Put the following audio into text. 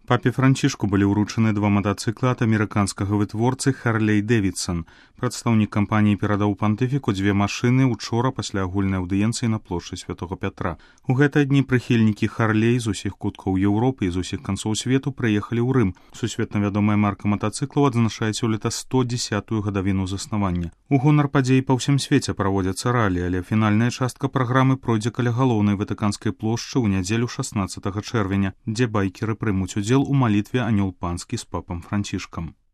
Папе Францішку былі ўручаны два матацыклы ад амерыканскага вытворцы Харлей Дэвідсан. Прадстаўнік кампаніі перадаў пантыфіку дзве машыны учора пасля агульнай аўдыенцыі на плошчы Святога Пятра. У гэтыя дні прыхільнікі Харлей з усіх куткаў Еўропы і з усіх канцоў свету прыехалі ў Рым. Сусветна вядомая марка матацыклаў адзначае сёлета 110-ю гадавіну заснавання. У гонар падзей па ўсім свеце праводзяцца ралі, але фінальная частка праграмы пройдзе каля галоўнай ватыканскай плошчы ў нядзелю 16 чэрвеня, дзе байкеры прымуць удзел у малітве «Анёл панскі» з папам Францішкам.